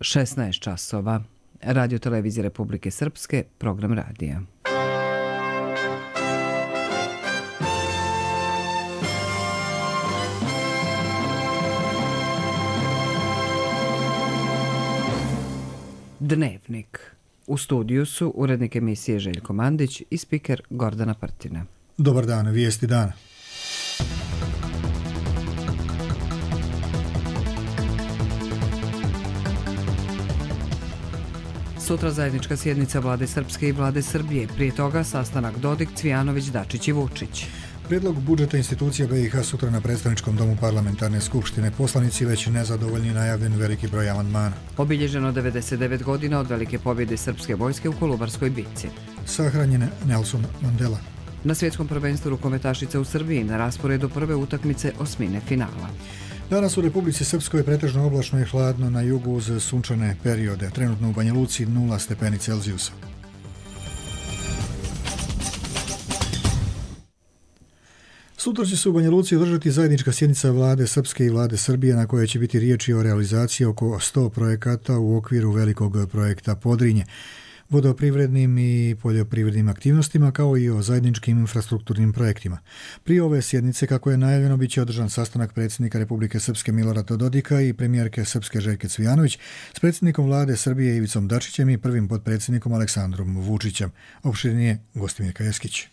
16 časova. Radio Televizije Republike Srpske, program radija. Dnevnik. U studiju su urednik emisije Željko Mandić i spiker Gordana Prtina. Dobar dan, vijesti dana. Sutra zajednička sjednica Vlade Srpske i Vlade Srbije. Prije toga sastanak Dodik, Cvijanović, Dačić i Vučić. Prijedlog budžeta institucija BiH sutra na predstavničkom domu parlamentarne skupštine. Poslanici već nezadovoljni, najavljen veliki broj amandmana. Obilježeno 99 godina od velike pobjede srpske vojske u Kolubarskoj bitci. Sahranjen Nelson Mandela. Na svjetskom prvenstvu rukometašica u Srbiji na rasporedu prve utakmice osmine finala. Danas u Republici Srpskoj pretežno oblačno i hladno, na jugu uz sunčane periode. Trenutno u Banja Luci 0 stepeni Celzijusa. Sutra će se u Banja Luci održati zajednička sjednica Vlade Srpske i Vlade Srbije na kojoj će biti riječi o realizaciji oko 100 projekata u okviru velikog projekta Podrinje, vodoprivrednim i poljoprivrednim aktivnostima kao i o zajedničkim infrastrukturnim projektima. Prije ove sjednice, kako je najavljeno, bit će održan sastanak predsjednika Republike Srpske Milorada Dodika i premijerke Srpske Željke Cvijanović s predsjednikom Vlade Srbije Ivicom Dačićem i prvim potpredsjednikom Aleksandrom Vučićem. Opširnije Gostimirka Jeskić.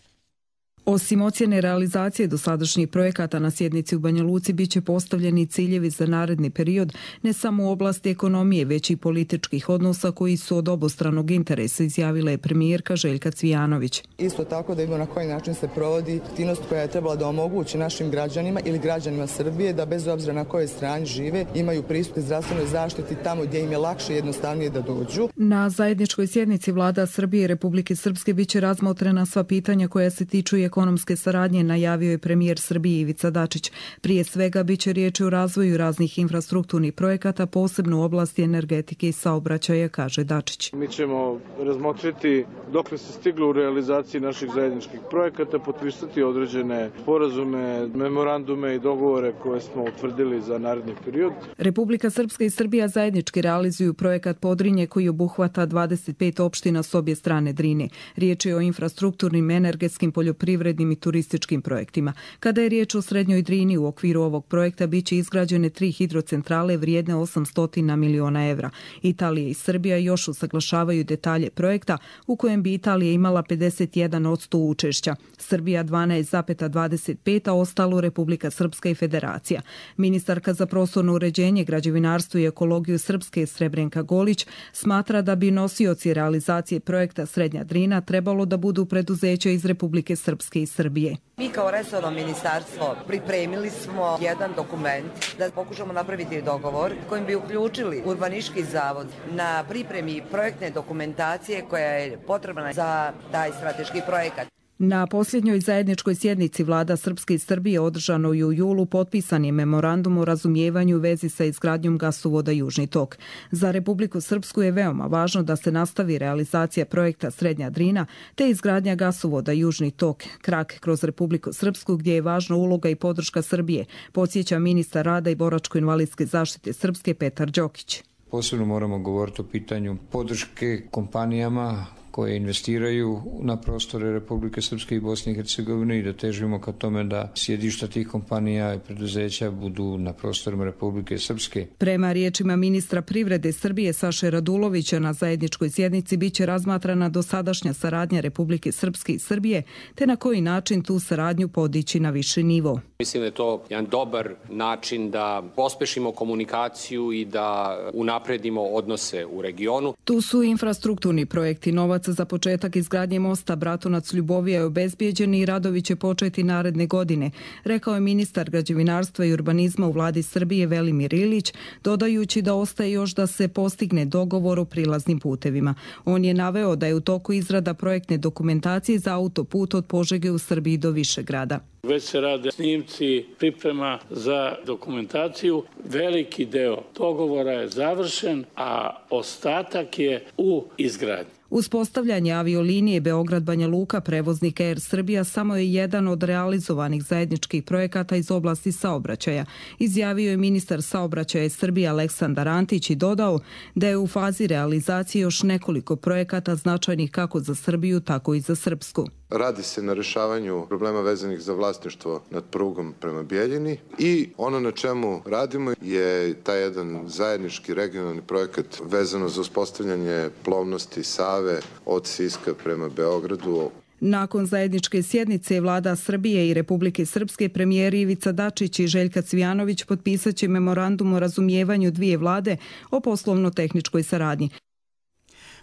Osim ocjene realizacije dosadašnjih projekata na sjednici u Banja Luci biće postavljeni ciljevi za naredni period ne samo u oblasti ekonomije, već i političkih odnosa koji su od obostranog interesa, izjavila je premijerka Željka Cvijanović. Isto tako da vidimo na koji način se provodi aktivnost koja je trebala da omogući našim građanima ili građanima Srbije da bez obzira na kojoj strani žive imaju pristup zdravstvenoj zaštiti tamo gdje im je lakše i jednostavnije da dođu. Na zajedničkoj sjednici Vlada Srbije i Republike Srpske biće razmotrena sva pitanja koja se tiču ekonomske saradnje, najavio je premijer Srbije Ivica Dačić. Prije svega biće riječi o razvoju raznih infrastrukturnih projekata, posebno u oblasti energetike i saobraćaja, kaže Dačić. Mi ćemo razmotriti dokle se stiglo u realizaciji naših zajedničkih projekata, potpisati određene sporazume, memorandume i dogovore koje smo utvrdili za naredni period. Republika Srpska i Srbija zajednički realizuju projekat Podrinje koji obuhvata 25 opština s obje strane Drine. Riječ je o infrastrukturnim, energetskim, poljoprivrednim i turističkim projektima. Kada je riječ o Srednjoj Drini, u okviru ovog projekta biće izgrađene 3 hidrocentrale vrijedne 800 miliona evra. Italija i Srbija još usaglašavaju detalje projekta u kojem bi Italija imala 51% učešća, Srbija 12,25%, a ostalo Republika Srpska i Federacija. Ministarka za prostorno uređenje, građevinarstvo i ekologiju Srpske Srebrenka Golić smatra da bi nosioci realizacije projekta Srednja Drina trebalo da budu preduzeća iz Republike Srpske i Srbije. Mi kao resorno ministarstvo pripremili smo jedan dokument da pokušamo napraviti dogovor kojim bi uključili Urbanistički zavod na pripremi projektne dokumentacije koja je potrebna za taj strateški projekat. Na posljednjoj zajedničkoj sjednici Vlada Srpske i Srbije održanoj u julu potpisan je memorandum o razumijevanju u vezi sa izgradnjom gasovoda Južni tok. Za Republiku Srpsku je veoma važno da se nastavi realizacija projekta Srednja Drina te izgradnja gasovoda Južni tok, krak kroz Republiku Srpsku gdje je važna uloga i podrška Srbije, podsjeća ministar rada i boračko-invalidske zaštite Srpske Petar Đokić. Posebno moramo govoriti o pitanju podrške kompanijama koje investiraju na prostore Republike Srpske i Bosne i Hercegovine i da težimo ka tome da sjedišta tih kompanija i preduzeća budu na prostorima Republike Srpske. Prema riječima ministra privrede Srbije Saše Radulovića, na zajedničkoj sjednici biće razmatrana dosadašnja saradnja Republike Srpske i Srbije te na koji način tu saradnju podići na viši nivo. Mislim da je to jedan dobar način da pospešimo komunikaciju i da unapredimo odnose u regionu. Tu su infrastrukturni projekti. Novac za početak izgradnje mosta Bratunac-Ljubovija je obezbijeđen i radovi će početi naredne godine, rekao je ministar građevinarstva i urbanizma u Vladi Srbije Velimir Ilić, dodajući da ostaje još da se postigne dogovor o prilaznim putevima. On je naveo da je u toku izrada projektne dokumentacije za autoput od Požege u Srbiji do Višegrada. Već se rade snimci, priprema za dokumentaciju. Veliki deo dogovora je završen, a ostatak je u izgradnji. Uspostavljanje aviolinije Beograd-Banja Luka, prevoznik Air Srbija, samo je jedan od realizovanih zajedničkih projekata iz oblasti saobraćaja. Izjavio je ministar saobraćaja Srbije Aleksandar Antić i dodao da je u fazi realizacije još nekoliko projekata značajnih kako za Srbiju, tako i za Srpsku. Radi se na rešavanju problema vezanih za vlasništvo nad prugom prema Bijeljini i ono na čemu radimo je taj jedan zajednički regionalni projekat vezano za uspostavljanje plovnosti Save od Siska prema Beogradu. Nakon zajedničke sjednice vlada Srbije i Republike Srpske, premijeri Ivica Dačić i Željka Cvijanović potpisaće memorandum o razumijevanju dvije vlade o poslovno-tehničkoj saradnji.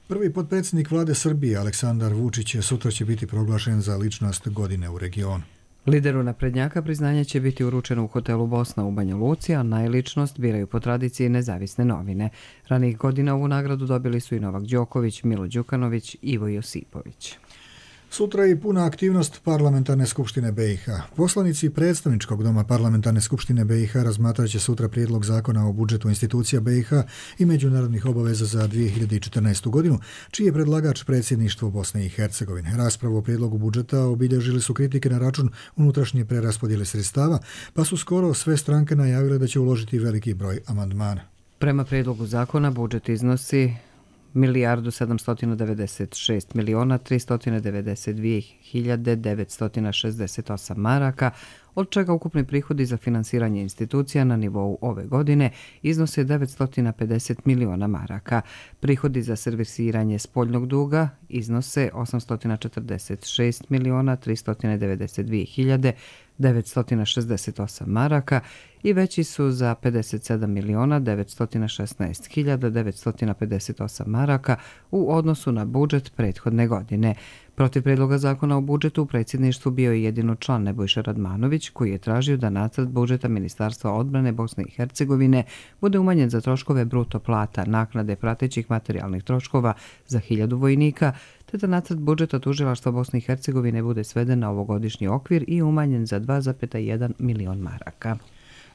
Prvi potpredsjednik vlade Srbije, Aleksandar Vučić, sutra će biti proglašen za ličnost godine u regionu. Lideru naprednjaka priznanje će biti uručeno u hotelu Bosna u Banja Luci, a najličnost biraju po tradiciji nezavisne novine. Ranijih godina ovu nagradu dobili su i Novak Đoković, Milo Đukanović, Ivo Josipović. Sutra je i puna aktivnost Parlamentarne skupštine BiH. Poslanici predstavničkog doma Parlamentarne skupštine BiH razmatrat će sutra prijedlog zakona o budžetu institucija BiH i međunarodnih obaveza za 2014. godinu, čiji je predlagač predsjedništvo Bosne i Hercegovine. Raspravu o prijedlogu budžeta obilježili su kritike na račun unutrašnje preraspodjele sredstava, pa su skoro sve stranke najavile da će uložiti veliki broj amandmana. Prema prijedlogu zakona budžet iznosi 1.796.392.968 maraka, od čega ukupni prihodi za finansiranje institucija na nivou ove godine iznose 950 miliona maraka. Prihodi za servisiranje spoljnog duga iznose 846.392.968 maraka i veći su za 57.916.958 maraka u odnosu na budžet prethodne godine. Protiv predloga zakona o budžetu u predsjedništvu bio je jedino član Nebojša Radmanović, koji je tražio da nacrt budžeta Ministarstva odbrane Bosne i Hercegovine bude umanjen za troškove bruto plata, naknade pratećih materijalnih troškova za 1000 vojnika, te da nacrt budžeta tužilaštva Bosne i Hercegovine bude sveden na ovogodišnji okvir i umanjen za 2,1 milion maraka.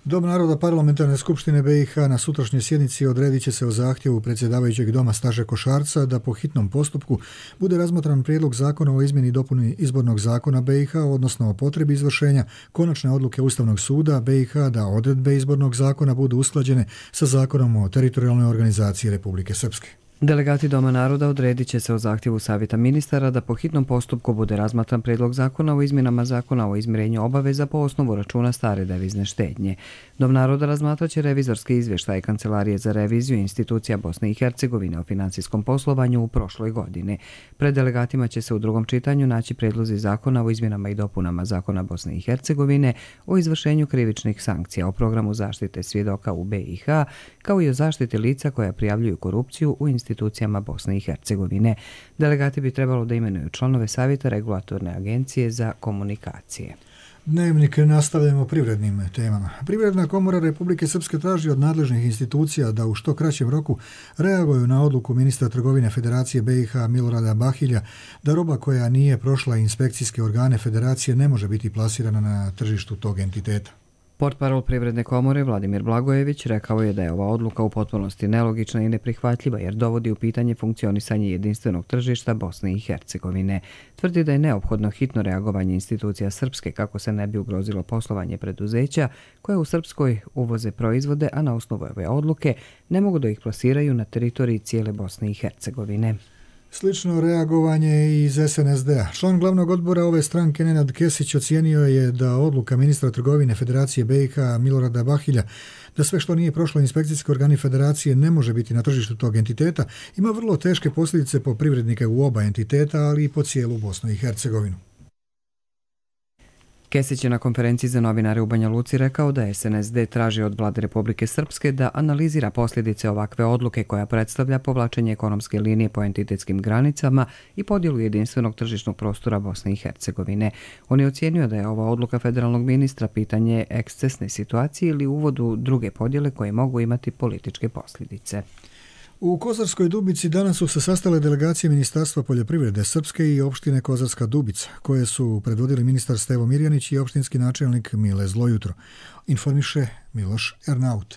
Dom naroda Parlamentarne skupštine BiH na sutrašnjoj sjednici odredit će se o zahtjevu predsjedavajućeg doma Staše Košarca da po hitnom postupku bude razmatran prijedlog zakona o izmjeni i dopuni izbornog zakona BiH, odnosno o potrebi izvršenja konačne odluke Ustavnog suda BiH da odredbe izbornog zakona budu usklađene sa zakonom o teritorijalnoj organizaciji Republike Srpske. Delegati Doma naroda odredit će se o zahtjevu Savjeta ministara da po hitnom postupku bude razmatran prijedlog zakona o izmjenama zakona o izmirenju obaveza po osnovu računa stare devizne štednje. Dom naroda razmatraće revizorski izvještaj Kancelarije za reviziju institucija Bosne i Hercegovine o financijskom poslovanju u prošloj godini. Pred delegatima će se u drugom čitanju naći prijedlozi zakona o izmjenama i dopunama zakona Bosne i Hercegovine o izvršenju krivičnih sankcija, o programu zaštite svjedoka u BiH, kao i o zaštiti lica koja prijavljuju korupciju u institucijama Bosne i Hercegovine. Delegati bi trebalo da imenuju članove Savjeta Regulatorne agencije za komunikacije. Dnevnik nastavljamo privrednim temama. Privredna komora Republike Srpske traži od nadležnih institucija da u što kraćem roku reaguju na odluku ministra trgovine Federacije BiH Milorada Bahilja da roba koja nije prošla inspekcijske organe Federacije ne može biti plasirana na tržištu tog entiteta. Portparol Privredne komore Vladimir Blagojević rekao je da je ova odluka u potpunosti nelogična i neprihvatljiva jer dovodi u pitanje funkcionisanje jedinstvenog tržišta Bosne i Hercegovine. Tvrdi da je neophodno hitno reagovanje institucija Srpske kako se ne bi ugrozilo poslovanje preduzeća koje u Srpskoj uvoze proizvode, a na osnovu ove odluke ne mogu da ih plasiraju na teritoriji cijele Bosne i Hercegovine. Slično reagovanje iz SNSD-a. Član glavnog odbora ove stranke Nenad Kesić ocijenio je da odluka ministra trgovine Federacije BiH Milorada Bahilja da sve što nije prošlo inspekcijski organi Federacije ne može biti na tržištu tog entiteta ima vrlo teške posljedice po privrednike u oba entiteta, ali i po cijelu Bosnu i Hercegovinu. Kesić je na konferenciji za novinare u Banja Luci rekao da SNSD traži od vlade Republike Srpske da analizira posljedice ovakve odluke koja predstavlja povlačenje ekonomske linije po entitetskim granicama i podjelu jedinstvenog tržišnog prostora Bosne i Hercegovine. On je ocijenio da je ova odluka federalnog ministra pitanje ekscesne situacije ili uvod u druge podjele koje mogu imati političke posljedice. U Kozarskoj Dubici danas su se sastale delegacije Ministarstva poljoprivrede Srpske i opštine Kozarska Dubica, koje su predvodili ministar Stevo Mirjanić i opštinski načelnik Mile Zlojutro. Informiše Miloš Ernaut.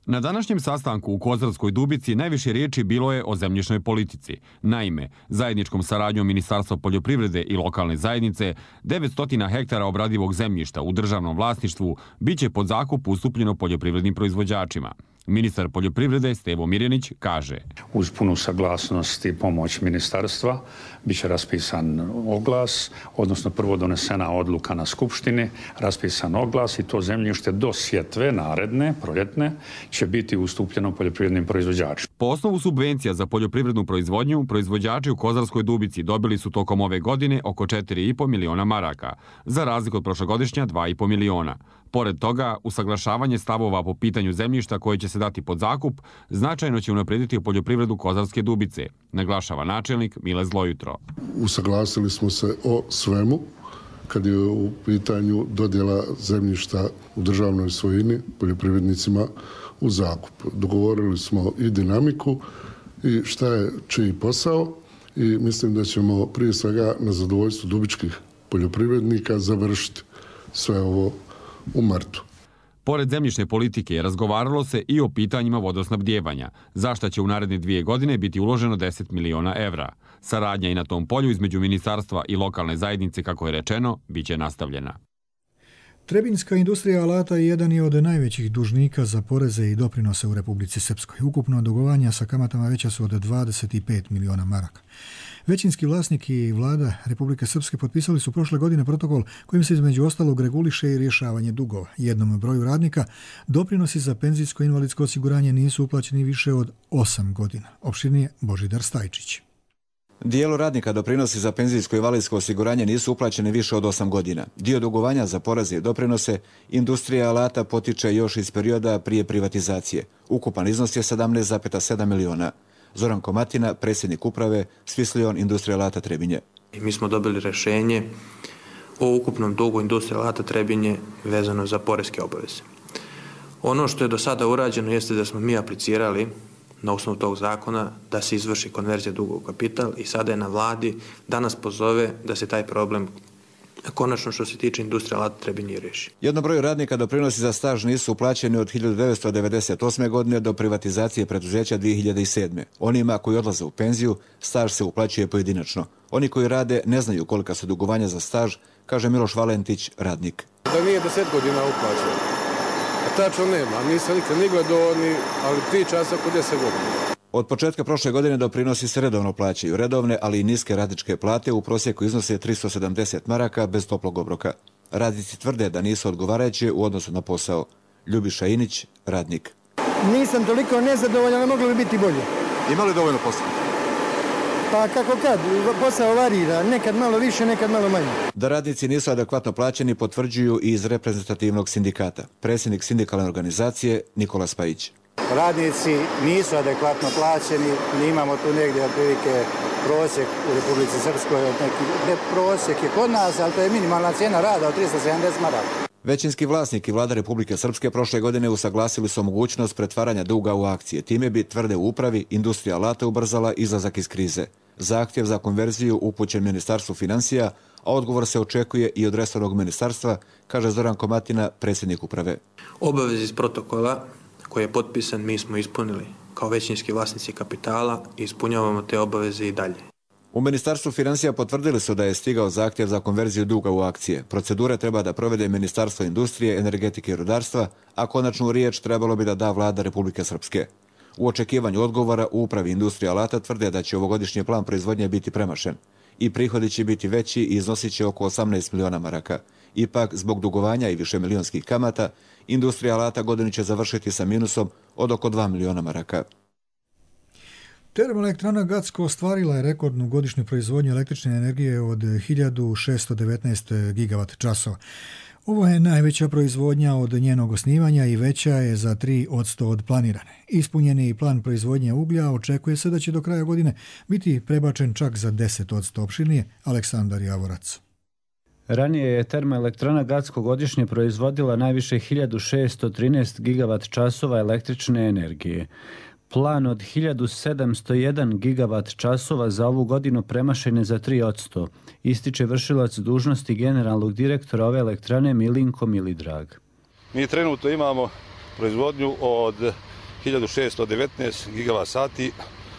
Na današnjem sastanku u Kozarskoj Dubici najviše riječi bilo je o zemljišnoj politici. Naime, zajedničkom saradnjom Ministarstva poljoprivrede i lokalne zajednice 900 hektara obradivog zemljišta u državnom vlasništvu biće pod zakup ustupljeno poljoprivrednim proizvođačima. Ministar poljoprivrede Stevo Mirjanić kaže: uz punu saglasnost i pomoć ministarstva biće raspisan oglas, odnosno prvo donesena odluka na skupštini, raspisan oglas i to zemljište do sjetve naredne, proljetne, će biti ustupljeno poljoprivrednim proizvođačima. Po osnovu subvencija za poljoprivrednu proizvodnju, proizvođači u Kozarskoj Dubici dobili su tokom ove godine oko 4,5 miliona maraka, za razliku od prošlogodišnja 2,5 miliona. Pored toga, usaglašavanje stavova po pitanju zemljišta koje će se dati pod zakup značajno će unaprijediti poljoprivredu Kozarske Dubice, naglašava načelnik Mile Zlojutro. Usaglasili smo se o svemu kad je u pitanju dodjela zemljišta u državnoj svojini poljoprivrednicima u zakup. Dogovorili smo i dinamiku i šta je čiji posao i mislim da ćemo prije svega na zadovoljstvu dubičkih poljoprivrednika završiti sve ovo u martu. Pored zemljišne politike razgovaralo se i o pitanjima vodosnabdijevanja, za šta će u naredne 2 godine biti uloženo 10 miliona evra. Saradnja i na tom polju između ministarstva i lokalne zajednice, kako je rečeno, bit će nastavljena. Trebinjska industrija alata jedan je od najvećih dužnika za poreze i doprinose u Republici Srpskoj. Ukupno dugovanja sa kamatama veća su od 25 miliona maraka. Većinski vlasnik i vlada Republike Srpske potpisali su prošle godine protokol kojim se između ostalog reguliše i rješavanje dugova. Jednom broju radnika doprinosi za penzijsko-invalidsko osiguranje nisu uplaćeni više od 8 godina. Opširnije Božidar Stajčić. Dijelu radnika doprinosi za penzijsko i invalidsko osiguranje nisu uplaćeni više od 8 godina. Dio dugovanja za poreze i doprinose industrija alata potiče još iz perioda prije privatizacije. Ukupan iznos je 17,7 miliona. Zoran Komatina, predsjednik uprave Svislion industrija alata Trebinje. Mi smo dobili rješenje o ukupnom dugu industrije alata Trebinje vezano za poreske obaveze. Ono što je do sada urađeno jeste da smo mi aplicirali na osnovu tog zakona da se izvrši konverzija duga u kapital i sada je na vladi da nas pozove da se taj problem konačno što se tiče industrije alata Trebinje riješi. Jednom broju radnika doprinosi za staž nisu uplaćeni od 1998. godine do privatizacije preduzeća 2007. Onima koji odlaze u penziju, staž se uplaćuje pojedinačno. Oni koji rade ne znaju kolika su dugovanja za staž, kaže Miloš Valentić, radnik. Da nije 10 godina uplaćeno. A tačno nema, nisam nikad ni gledao, ali priča se oko 10 godina. Od početka prošle godine doprinosi se redovno plaćaju. Redovne, ali i niske radničke plate u prosjeku iznose 370 maraka bez toplog obroka. Radnici tvrde da nisu odgovarajući u odnosu na posao. Ljubiša Inić, radnik. Nisam toliko nezadovoljan, ali moglo bi biti bolje. Ima li dovoljno posla? Pa kako kad, posao varira, nekad malo više, nekad malo manje. Da radnici nisu adekvatno plaćeni potvrđuju i iz reprezentativnog sindikata. Predsjednik sindikalne organizacije Nikola Spajić. Radnici nisu adekvatno plaćeni, mi imamo tu negdje otprilike prosjek u Republici Srpskoj, prosjek je kod nas, ali to je minimalna cijena rada od 370 maraka. Većinski vlasnik i vlada Republike Srpske prošle godine usaglasili su mogućnost pretvaranja duga u akcije. Time bi, tvrde u upravi, industrija alata ubrzala izlazak iz krize. Zahtjev za konverziju upućen Ministarstvu financija, a odgovor se očekuje i od resornog ministarstva, kaže Zoran Komatina, predsjednik uprave. Obavez iz protokola koji je potpisan mi smo ispunili kao većinski vlasnici kapitala i ispunjavamo te obaveze i dalje. U Ministarstvu financija potvrdili su da je stigao zahtjev za konverziju duga u akcije. Procedure treba da provede Ministarstvo industrije, energetike i rudarstva, a konačnu riječ trebalo bi da da vlada Republike Srpske. U očekivanju odgovora u upravi industrije alata tvrde da će ovogodišnji plan proizvodnje biti premašen i prihodi će biti veći i iznosit će oko 18 miliona maraka. Ipak, zbog dugovanja i višemilionskih kamata, industrija alata godinu će završiti sa minusom od oko 2 miliona maraka. Termoelektrana Gacko ostvarila je rekordnu godišnju proizvodnju električne energije od 1619 gigavat časova. Ovo je najveća proizvodnja od njenog osnivanja i veća je za 3% od planirane. Ispunjeni plan proizvodnje uglja očekuje se da će do kraja godine biti prebačen čak za 10%. Opširnije Aleksandar Javorac. Ranije je termoelektrana Gacko godišnje proizvodila najviše 1613 gigavat časova električne energije. Plan od 1701 gigavat časova za ovu godinu premašen je za 3%, ističe vršilac dužnosti generalnog direktora ove elektrane Milinko Milidrag. Mi trenutno imamo proizvodnju od 1619 gigavat sati,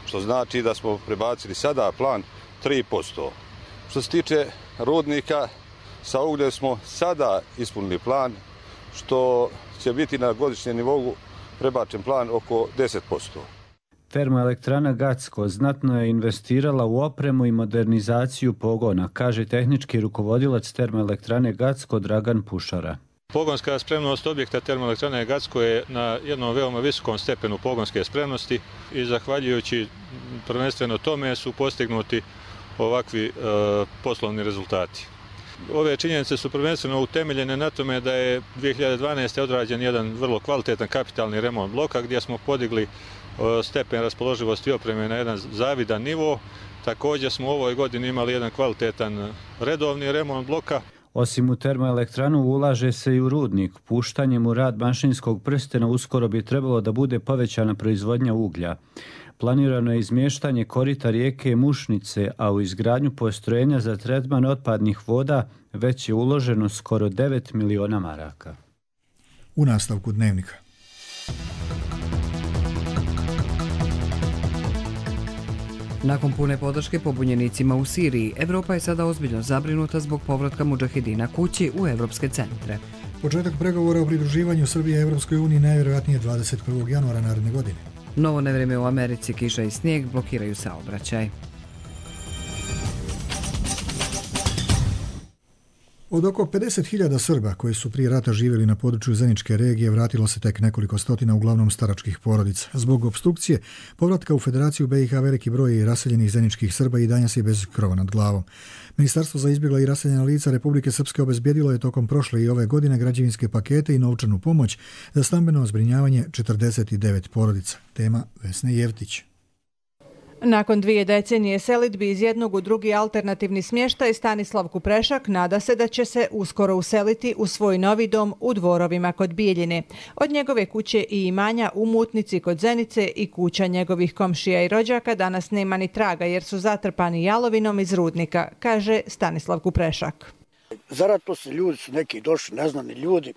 što znači da smo prebacili sada plan 3%. Što se tiče rudnika, sa ugljem smo sada ispunili plan, što će biti na godišnjem nivou prebačen plan oko 10%. Termoelektrana Gacko znatno je investirala u opremu i modernizaciju pogona, kaže tehnički rukovodilac termoelektrane Gacko Dragan Pušara. Pogonska spremnost objekta termoelektrane Gacko je na jednom veoma visokom stepenu pogonske spremnosti i zahvaljujući prvenstveno tome su postignuti ovakvi poslovni rezultati. Ove činjenice su prvenstveno utemeljene na tome da je 2012. odrađen jedan vrlo kvalitetan kapitalni remont bloka gdje smo podigli stepen raspoloživosti opreme na jedan zavidan nivo. Također smo u ovoj godini imali jedan kvalitetan redovni remont bloka. Osim u termoelektranu ulaže se i u rudnik. Puštanjem u rad mašinskog prstena uskoro bi trebalo da bude povećana proizvodnja uglja. Planirano je izmještanje korita rijeke Mušnice, a u izgradnju postrojenja za tretman otpadnih voda već je uloženo skoro 9 miliona maraka. U nastavku dnevnika. Nakon pune podrške pobunjenicima u Siriji, Evropa je sada ozbiljno zabrinuta zbog povratka mudžahedina kući u evropske centre. Početak pregovora o pridruživanju Srbije Evropskoj uniji najvjerojatnije 21. januara naredne godine. Novo nevreme u Americi, kiša i snijeg blokiraju saobraćaj. Od oko 50.000 Srba koji su prije rata živjeli na području Zeničke regije vratilo se tek nekoliko stotina, uglavnom staračkih porodica. Zbog opstrukcije povratka u Federaciju BiH veliki broj raseljenih zeničkih Srba i danas je bez krova nad glavom. Ministarstvo za izbjegla i raseljena lica Republike Srpske obezbijedilo je tokom prošle i ove godine građevinske pakete i novčanu pomoć za stambeno zbrinjavanje 49 porodica. Tema Vesne Jevtić. Nakon 2 decenije selidbi iz jednog u drugi alternativni smještaj, Stanislav Kuprešak nada se da će se uskoro useliti u svoj novi dom u Dvorovima kod Bijeljine. Od njegove kuće i imanja u Mutnici kod Zenice i kuća njegovih komšija i rođaka danas nema ni traga jer su zatrpani jalovinom iz rudnika, kaže Stanislav Kuprešak. Zato su ljudi su neki došli, neznani ljudi,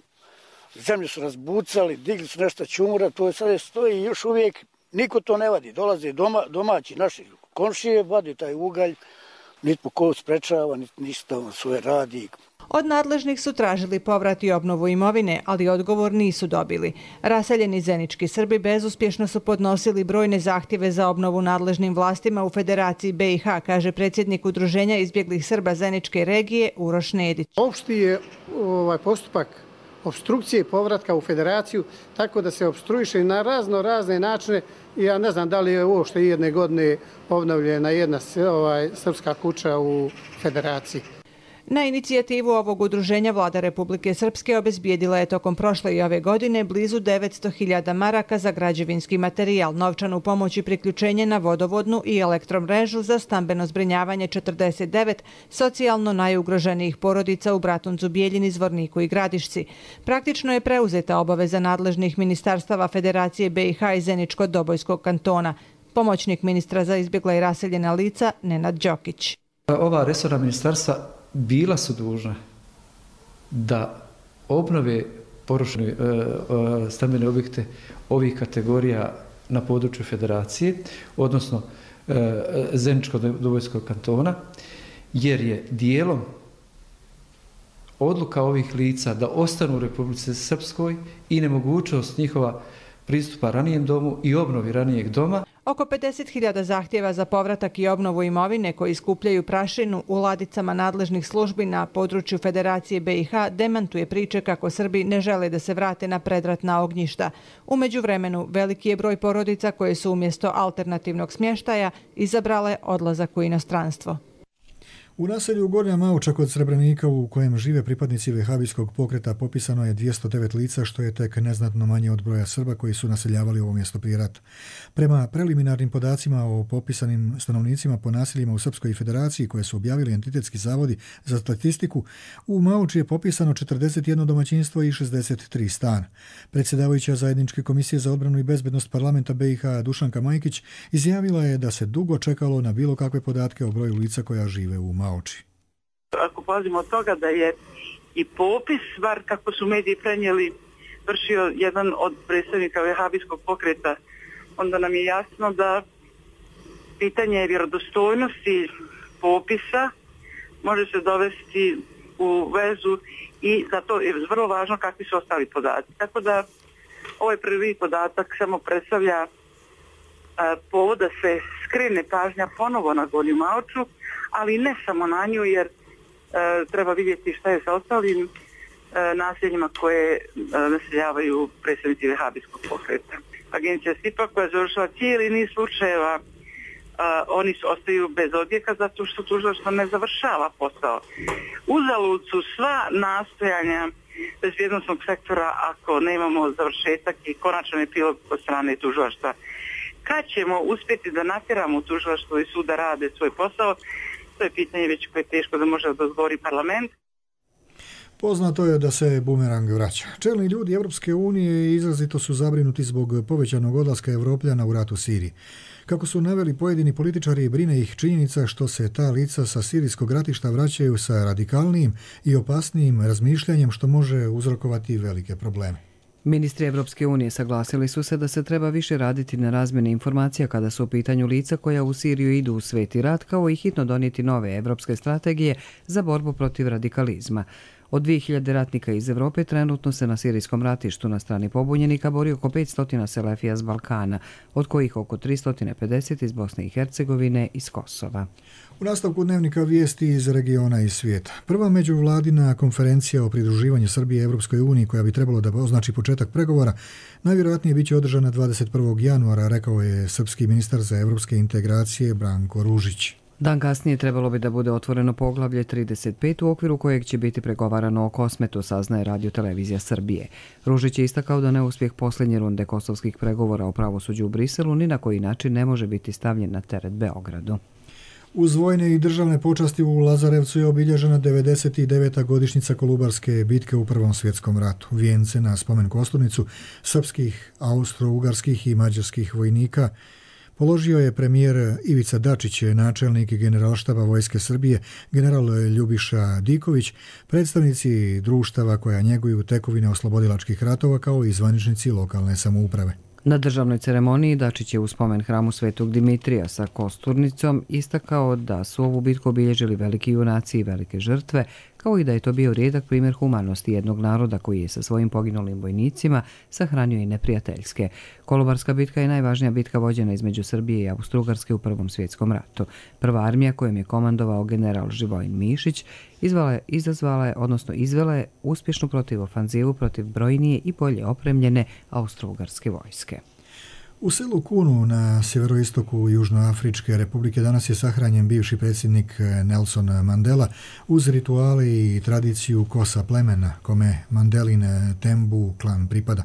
zemlju su razbucali, digli su nešto čumura, to je sada stoji još uvijek. Niko to ne vadi, dolaze domaći naši komšije, vadi taj ugalj, nitko ko sprečava, ništa svoje radi. Od nadležnih su tražili povrat i obnovu imovine, ali odgovor nisu dobili. Raseljeni zenički Srbi bezuspješno su podnosili brojne zahtjeve za obnovu nadležnim vlastima u Federaciji BiH, kaže predsjednik Udruženja izbjeglih Srba Zeničke regije Uroš Nedić. Opšti je postupak opstrukcije povratka u Federaciju, tako da se opstruiše na razne načine. Ja ne znam da li je uopšte jedne godine obnovljena jedna srpska kuća u Federaciji. Na inicijativu ovog udruženja vlada Republike Srpske obezbijedila je tokom prošle i ove godine blizu 900.000 maraka za građevinski materijal, novčanu pomoć i priključenje na vodovodnu i elektromrežu za stambeno zbrinjavanje 49 socijalno najugroženijih porodica u Bratuncu, Bijeljini, Zvorniku i Gradišci. Praktično je preuzeta obaveza nadležnih ministarstava Federacije BiH i Zeničko-Dobojskog kantona. Pomoćnik ministra za izbjegla i raseljena lica Nenad Đokić. Ova resorna ministarstva bila su dužna da obnove porušene stambene objekte ovih kategorija na području Federacije, odnosno Zeničko-Dobojskog kantona, jer je dijelom odluka ovih lica da ostanu u Republici Srpskoj i nemogućnost njihova pristupa ranijem domu i obnovi ranijeg doma. Oko 50.000 zahtjeva za povratak i obnovu imovine koji skupljaju prašinu u ladicama nadležnih službi na području Federacije BiH demantuje priče kako Srbi ne žele da se vrate na predratna ognjišta. U međuvremenu, veliki je broj porodica koje su umjesto alternativnog smještaja izabrale odlazak u inostranstvo. U naselju Gornja Mauča kod Srebrenika u kojem žive pripadnici vehabijskog pokreta popisano je 209 lica, što je tek neznatno manje od broja Srba koji su naseljavali ovo mjesto prije rata. Prema preliminarnim podacima o popisanim stanovnicima po naseljima u Srpskoj federaciji koje su objavili entitetski zavodi za statistiku, u Mauči je popisano 41 domaćinstvo i 63 stana. Predsjedavajuća zajedničke komisije za odbranu i bezbednost parlamenta BiH Dušanka Majkić izjavila je da se dugo čekalo na bilo kakve podatke o broju lica koja žive u Mauči. Ako polazimo od toga da je i popis, bar kako su mediji prenijeli, vršio jedan od predstavnika vehabijskog pokreta, onda nam je jasno da pitanje vjerodostojnosti popisa može se dovesti u vezu i zato je vrlo važno kakvi su ostali podaci. Tako da ovaj prvi podatak samo predstavlja povod da se skrene pažnja ponovo na Gornju Mauču, ali ne samo na nju, jer treba vidjeti šta je sa ostalim naseljima koje naseljavaju predstavnici vehabijskog pokreta. Agencija SIPA koja završava cijeli niz slučajeva, oni ostaju bez odjeka zato što tužilaštvo ne završava posao. Uzalud su sva nastojanja bezbjednosnog sektora ako nemamo završetak i konačan epilog od strane tužilaštva. Kad ćemo uspjeti da natjeramo tužilaštvo i sud da rade svoj posao, to je pitanje već koje je teško da može da odgovori parlament. Poznato je da se bumerang vraća. Čelni ljudi Evropske unije izrazito su zabrinuti zbog povećanog odlaska Evropljana u rat u Siriji. Kako su naveli pojedini političari, brine ih činjenica što se ta lica sa sirijskog ratišta vraćaju sa radikalnijim i opasnijim razmišljanjem što može uzrokovati velike probleme. Ministri Evropske unije saglasili su se da se treba više raditi na razmjeni informacija kada su u pitanju lica koja u Siriju idu u sveti rat, kao i hitno donijeti nove evropske strategije za borbu protiv radikalizma. Od 2000 ratnika iz Evrope trenutno se na sirijskom ratištu na strani pobunjenika bori oko 500 selefija s Balkana, od kojih oko 350 iz Bosne i Hercegovine i s Kosova. U nastavku dnevnika vijesti iz regiona i svijeta. Prva međuvladina konferencija o pridruživanju Srbije Evropskoj uniji koja bi trebalo da označi početak pregovora najvjerojatnije biće održana 21. januara, rekao je srpski ministar za evropske integracije Branko Ružić. Dan kasnije trebalo bi da bude otvoreno poglavlje 35 u okviru kojeg će biti pregovarano o Kosmetu, saznaje Radio Televizija Srbije. Ružić je istakao da neuspjeh posljednje runde kosovskih pregovora o pravosuđu u Briselu ni na koji način ne može biti stavljen na teret Beogradu. Uz vojne i državne počasti u Lazarevcu je obilježena 99. godišnjica Kolubarske bitke u Prvom svjetskom ratu. Vijence na spomen kosturnicu srpskih, austro-ugarskih i mađarskih vojnika položio je premijer Ivica Dačić, načelnik generalštaba Vojske Srbije, general Ljubiša Diković, predstavnici društava koja njeguju tekovine oslobodilačkih ratova kao i zvaničnici lokalne samouprave. Na državnoj ceremoniji Dačić je u spomen hramu Svetog Dimitrija sa kosturnicom istakao da su ovu bitku obilježili veliki junaci i velike žrtve, kao i da je to bio rijedak primjer humanosti jednog naroda koji je sa svojim poginulim vojnicima sahranio i neprijateljske. Kolubarska bitka je najvažnija bitka vođena između Srbije i Austro-Ugarske u Prvom svjetskom ratu. Prva armija kojom je komandovao general Živojin Mišić izvela je uspješnu protivofanzivu protiv brojnije i bolje opremljene Austro-Ugarske vojske. U selu Kunu na sjeveroistoku Južnoafričke republike danas je sahranjen bivši predsjednik Nelson Mandela uz rituale i tradiciju kosa plemena kome Mandelin Tembu klan pripada.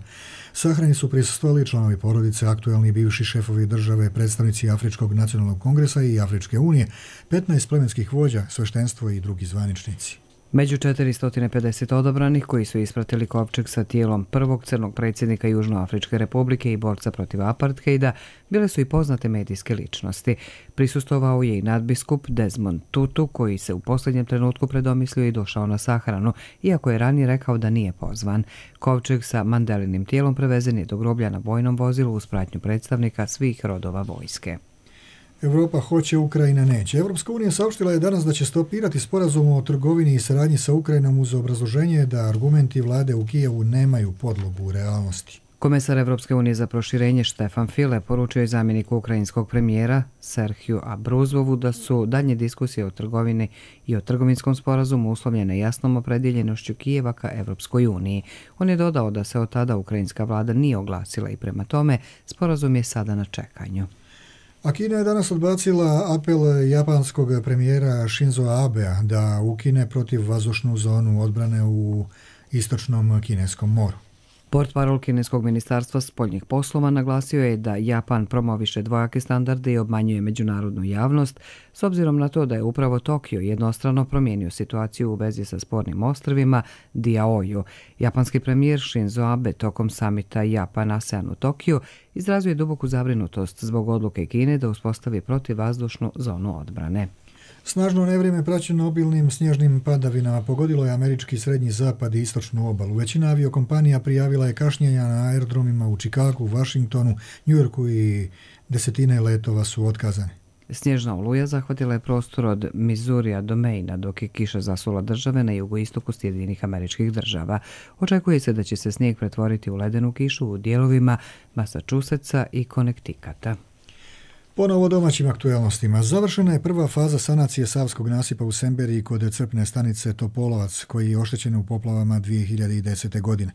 Sahrani su prisustvovali članovi porodice, aktuelni bivši šefovi države, predstavnici Afričkog nacionalnog kongresa i Afričke unije, 15 plemenskih vođa, sveštenstvo i drugi zvaničnici. Među 450 odabranih koji su ispratili kovčeg sa tijelom prvog crnog predsjednika Južnoafričke republike i borca protiv apartheida bile su i poznate medijske ličnosti. Prisustvovao je i nadbiskup Desmond Tutu koji se u posljednjem trenutku predomislio i došao na sahranu, iako je ranije rekao da nije pozvan. Kovčeg sa Mandelinim tijelom prevezen je do groblja na vojnom vozilu uz pratnju predstavnika svih rodova vojske. Evropa hoće, Ukrajina neće. Evropska unija saopštila je danas da će stopirati sporazum o trgovini i saradnji sa Ukrajinom uz obrazloženje da argumenti vlade u Kijevu nemaju podlogu u realnosti. Komesar Evropske unije za proširenje Štefan File poručio je zamjeniku ukrajinskog premijera Serhiju Abruzovu da su daljnje diskusije o trgovini i o trgovinskom sporazumu uslovljene jasnom opredjeljenošću Kijeva ka Evropskoj uniji. On je dodao da se od tada ukrajinska vlada nije oglasila i prema tome sporazum je sada na čekanju. A Kina je danas odbacila apel japanskog premijera Shinzo Abea da ukine protivvazdušnu zonu odbrane u istočnom kineskom moru. Portparol kineskog ministarstva spoljnih poslova naglasio je da Japan promoviše dvojake standarde i obmanjuje međunarodnu javnost, s obzirom na to da je upravo Tokio jednostrano promijenio situaciju u vezi sa spornim ostrvima Diaoyu. Japanski premijer Shinzo Abe tokom samita Japan-ASEAN u Tokiju izrazio je duboku zabrinutost zbog odluke Kine da uspostavi protivvazdušnu zonu odbrane. Snažno nevrijeme praćeno obilnim snježnim padavinama pogodilo je američki srednji zapad i istočnu obalu. Većina aviokompanija prijavila je kašnjenja na aerodromima u Chicagu, Washingtonu, Njujorku i desetine letova su otkazane. Snježna oluja zahvatila je prostor od Missourija do Maina, dok je kiša zasula države na jugoistoku Sjedinjenih Američkih Država. Očekuje se da će se snijeg pretvoriti u ledenu kišu u dijelovima Massachusettsa i Connecticuta. Ponovo domaćim aktuelnostima. Završena je prva faza sanacije Savskog nasipa u Semberiji kod crpne stanice Topolovac, koji je oštećen u poplavama 2010. godine.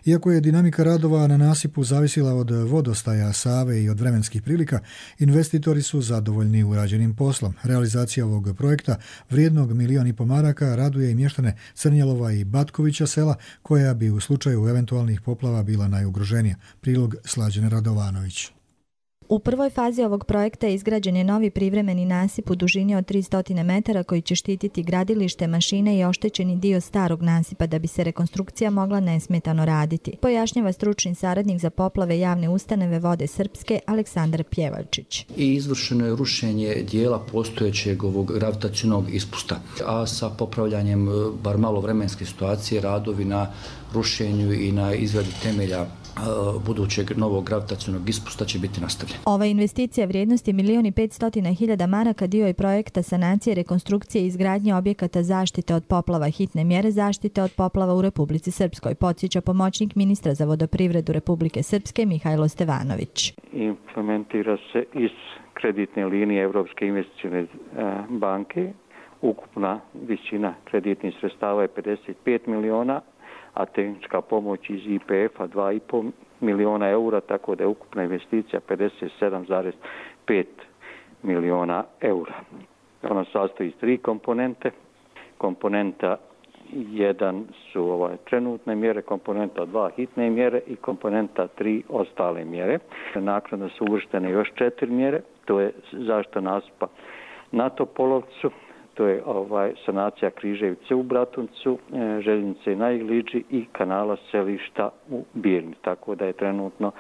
Iako je dinamika radova na nasipu zavisila od vodostaja Save i od vremenskih prilika, investitori su zadovoljni urađenim poslom. Realizacija ovog projekta, vrijednog 1,5 milijuna maraka, raduje i mještane Crnjelova i Batkovića sela, koja bi u slučaju eventualnih poplava bila najugroženija. Prilog Slađane Radovanović. U prvoj fazi ovog projekta izgrađen je novi privremeni nasip u dužini od 300 metara koji će štititi gradilište, mašine i oštećeni dio starog nasipa da bi se rekonstrukcija mogla nesmetano raditi, pojašnjava stručni saradnik za poplave javne ustanove Vode Srpske Aleksandar Pjevačić. I izvršeno je rušenje dijela postojećeg ovog gravitacionog ispusta, a sa popravljanjem bar malo vremenske situacije radovi na rušenju i na izradi temelja budućeg novog gravitacionog ispusta će biti nastavljena. Ova investicija vrijednosti 1.500.000 maraka dio je projekta sanacije, rekonstrukcije i izgradnje objekata zaštite od poplava, hitne mjere zaštite od poplava u Republici Srpskoj, podsjeća pomoćnik ministra za vodoprivredu Republike Srpske Mihajlo Stevanović. Implementira se iz kreditne linije Evropske investicione banke. Ukupna visina kreditnih sredstava je 55 miliona, a tehnička pomoć iz IPF-a 2,5 miliona eura, tako da je ukupna investicija 57,5 miliona eura. Ona sastoji iz 3 komponente. Komponenta 1 su trenutne mjere, komponenta 2 hitne mjere i komponenta 3 ostale mjere. Naknadno su uvrštene još 4 mjere, to je zaštita nasipa na Topolovcu, to je sanacija Križevice u Bratuncu, željeznice na Igliđi i kanala Selišta u Birni, tako da je trenutno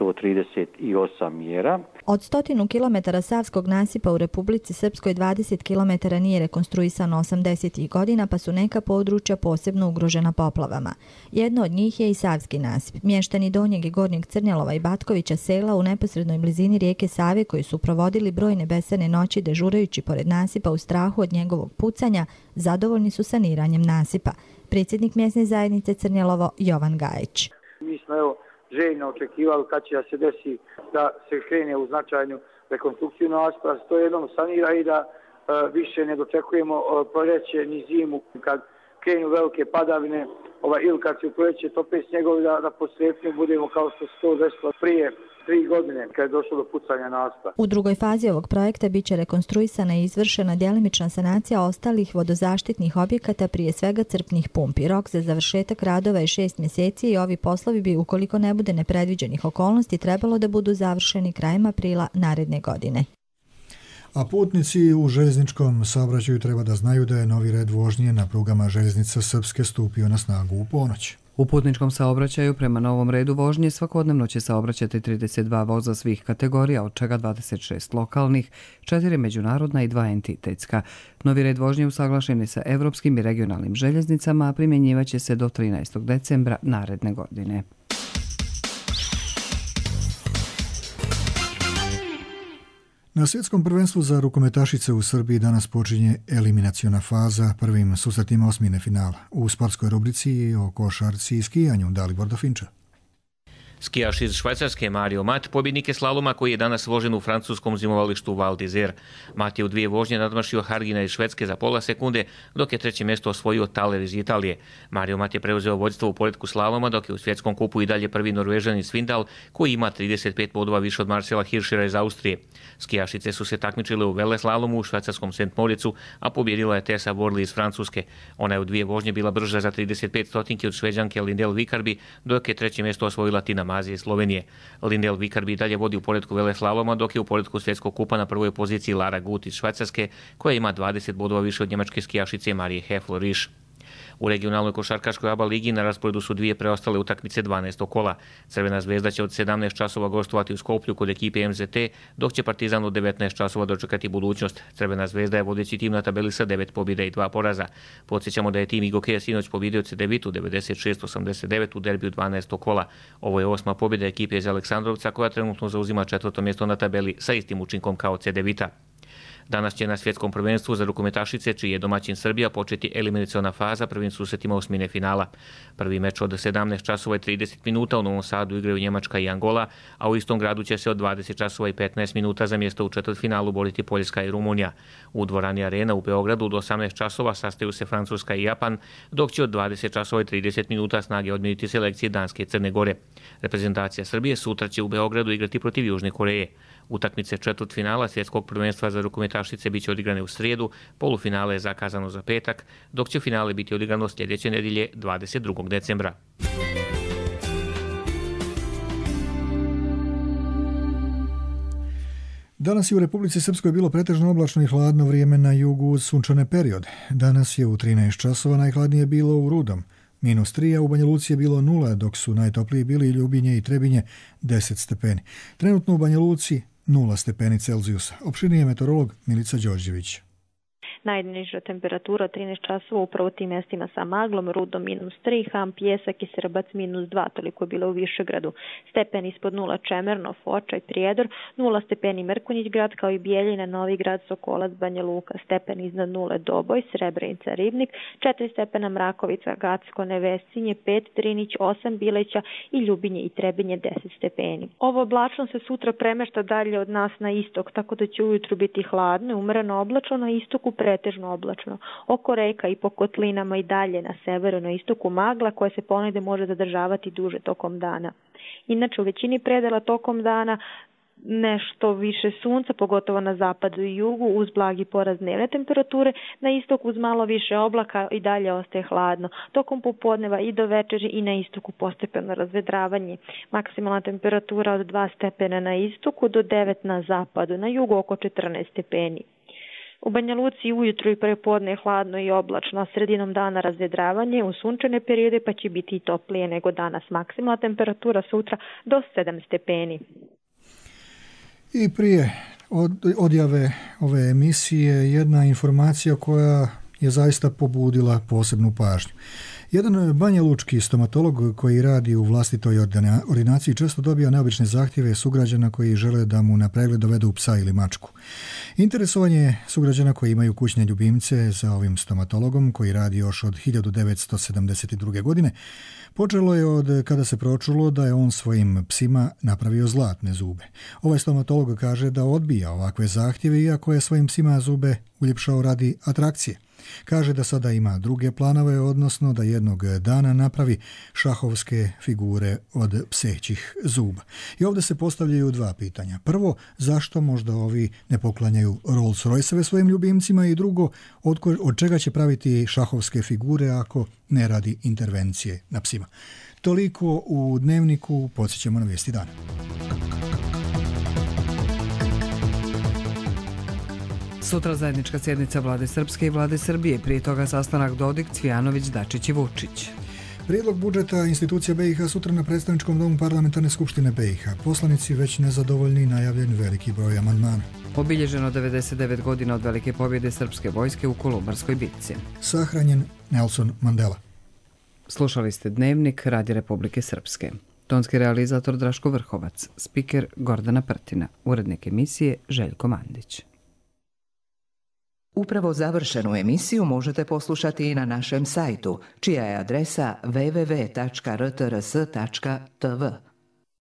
138 mjera. Od 100 km Savskog nasipa u Republici Srpskoj 20 km nije rekonstruisano 80. godina, pa su neka područja posebno ugrožena poplavama. Jedno od njih je i Savski nasip. Mještani Donjeg i Gornjeg Crnjelova i Batkovića sela u neposrednoj blizini rijeke Save, koji su provodili brojne besane noći dežurajući pored nasipa u strahu od njegovog pucanja, zadovoljni su saniranjem nasipa. Predsjednik mjesne zajednice Crnjelovo Jovan Gajić. Mi smo željno očekivali kad će da se desi da se krene u značajnu rekonstrukciju nasipa, da se to jednom sanira i da više ne dočekujemo proljeće ni zimu kad krenu velike padavine ili kad se u proljeće tope snjegovi da posljednje budemo kao što se to desilo prije 3 godine kad je došlo do pucanja nasipa. U drugoj fazi ovog projekta bit će rekonstruisana i izvršena djelimična sanacija ostalih vodozaštitnih objekata, prije svega crpnih pumpi. Rok za završetak radova je 6 mjeseci i ovi poslovi bi, ukoliko ne bude nepredviđenih okolnosti, trebalo da budu završeni krajem aprila naredne godine. A putnici u željezničkom saobraćaju treba da znaju da je novi red vožnje na prugama željeznica Srpske stupio na snagu u ponoć. U putničkom saobraćaju prema novom redu vožnje svakodnevno će saobraćati 32 voza svih kategorija, od čega 26 lokalnih, 4 međunarodna i 2 entitetska. Novi red vožnje usaglašen je sa evropskim i regionalnim željeznicama, a primjenjivaće se do 13. decembra naredne godine. Na svjetskom prvenstvu za rukometašice u Srbiji danas počinje eliminaciona faza prvim susretima osmine finala. U sportskoj rubrici o košarci i skijanju Dalibor Dofinča. Skijaš iz Švajcarske Mario Mat pobjednik je slaloma koji je danas vožen u francuskom zimovalištu Val d'Isère. Mat je u 2 vožnje nadmašio Hargina iz Švedske za pola sekunde, dok je 3. mjesto osvojio Thaler iz Italije. Mario Mat je preuzeo vodstvo u poretku slaloma, dok je u svjetskom kupu i dalje prvi Norvežanin Svindal, koji ima 35 bodova više od Marcela Hirschera iz Austrije. Skijašice su se takmičile u veleslalomu u švajcarskom St. Moricu, a pobjedila je Tessa Worley iz Francuske. Ona je u 2 vožnje bila brža za 35 stotinki od Šveđanke Lindell Vikarby, dok je 3. mjesto osvojila Tina Maze iz Slovenije. Lindell Vikarby dalje vodi u poretku veleslaloma, dok je u poretku svjetskog kupa na prvoj poziciji Lara Gut iz Švajcarske, koja ima 20 bodova više od njemačke skijašice Marije Heffler-Risch. U regionalnoj košarkaškoj ABA ligi na rasporedu su 2 preostale utakmice 12. kola. Crvena zvezda će od 17 časova gostovati u Skoplju kod ekipe MZT, dok će Partizan od 19 časova dočekati budućnost. Crvena zvezda je vodeći tim na tabeli sa 9 pobjeda i 2 poraza. Podsjećamo da je tim Igokeja sinoć pobjedio Cedevitu 96-89 u derbiju 12. kola. Ovo je 8. pobjeda ekipe iz Aleksandrovca, koja trenutno zauzima 4. mjesto na tabeli sa istim učinkom kao Cedevita. Danas će na svjetskom prvenstvu za rukometašice, čiji je domaćin Srbija, početi eliminaciona faza prvim susretima osmine finala. Prvi meč od 17 časova i 30 minuta u Novom Sadu igraju Njemačka i Angola, a u istom gradu će se od 20 časova i 15 minuta za mjesto u četvrtfinalu boriti Poljska i Rumunija. U dvorani Arena u Beogradu od 18 časova sastaju se Francuska i Japan, dok će od 20 časova i 30 minuta snage odmjeriti selekcije Danske i Crne Gore. Reprezentacija Srbije sutra će u Beogradu igrati protiv Južne Koreje. Utakmice četvrtfinala svjetskog prvenstva za rukometašice biće odigrane u srijedu, polufinale je zakazano za petak, dok će finale biti odigrano sljedeće nedjelje 22. decembra. Danas je u Republici Srpskoj bilo pretežno oblačno i hladno vrijeme na jugu uz sunčane periode. Danas je u 13 časova najhladnije bilo u Rudom, -3, a u Banja Luci je bilo 0, dok su najtopliji bili Ljubinje i Trebinje 10 stepeni. Trenutno u Banja Luci 0 stepeni Celzijusa. Opširnije meteorolog Milica Đorđević. Najniža temperatura 13 časova upravo tim mjestima sa maglom, Rudom -3, Ham, Pjesak i Srbac -2, toliko je bilo u Višegradu. Stepen ispod 0 Čemerno, Foča i Prijedor, 0 stepeni Mrkonjić grad kao i Bijeljina, Novi grad, Sokolac, Banja Luka. Stepen iznad 0 Doboj, Srebrenica, Ribnik, 4 stepena Mrakovica, Gacko, Nevesinje, 5 Drinić, 8 Bileća i Ljubinje i Trebinje 10 stepeni. Ovo oblačno se sutra premešta dalje od nas na istok, tako da će ujutru biti hladno, umereno oblačno, na istoku pretežno oblačno. Oko reka i po kotlinama i dalje na severu, na istoku magla koja se ponegde može zadržavati duže tokom dana. Inače u većini predela tokom dana nešto više sunca, pogotovo na zapadu i jugu, uz blagi porast dnevne temperature, na istoku uz malo više oblaka i dalje ostaje hladno. Tokom popodneva i do večeri i na istoku postepeno razvedravanje. Maksimalna temperatura od 2 stepena na istoku do 9 na zapadu, na jugu oko 14 stepeni. U Banja Luci ujutro i prepodne je hladno i oblačno, a sredinom dana razvedravanje u sunčane periode pa će biti i toplije nego danas. Maksimalna temperatura sutra do 7 stepeni. I prije odjave ove emisije jedna informacija koja je zaista pobudila posebnu pažnju. Jedan banjalučki stomatolog koji radi u vlastitoj ordinaciji često dobija neobične zahtjeve sugrađana koji žele da mu na pregled dovedu psa ili mačku. Interesovanje sugrađana koji imaju kućne ljubimce za ovim stomatologom koji radi još od 1972. godine počelo je od kada se pročulo da je on svojim psima napravio zlatne zube. Ovaj stomatolog kaže da odbija ovakve zahtjeve iako je svojim psima zube uljepšao radi atrakcije. Kaže da sada ima druge planove, odnosno da jednog dana napravi šahovske figure od psećih zuba. I ovdje se postavljaju 2 pitanja. Prvo, zašto možda ovi ne poklanjaju Rolls Royce-eve svojim ljubimcima i drugo, od čega će praviti šahovske figure ako ne radi intervencije na psima. Toliko u Dnevniku, podsjećamo na vijesti dana. Sutra zajednička sjednica Vlade Srpske i Vlade Srbije, prije toga sastanak Dodik, Cvijanović, Dačić i Vučić. Prijedlog budžeta institucija BiH sutra na predstavničkom domu Parlamentarne skupštine BiH. Poslanici već nezadovoljni, najavljen veliki broj amandmana. Obilježeno 99 godina od velike pobjede srpske vojske u Kolubarskoj bitci. Sahranjen Nelson Mandela. Slušali ste Dnevnik Radi Republike Srpske. Tonski realizator Draško Vrhovac, spiker Gordana Prtina, urednik emisije Željko Mandić. Upravo završenu emisiju možete poslušati i na našem sajtu, čija je adresa www.rtrs.tv.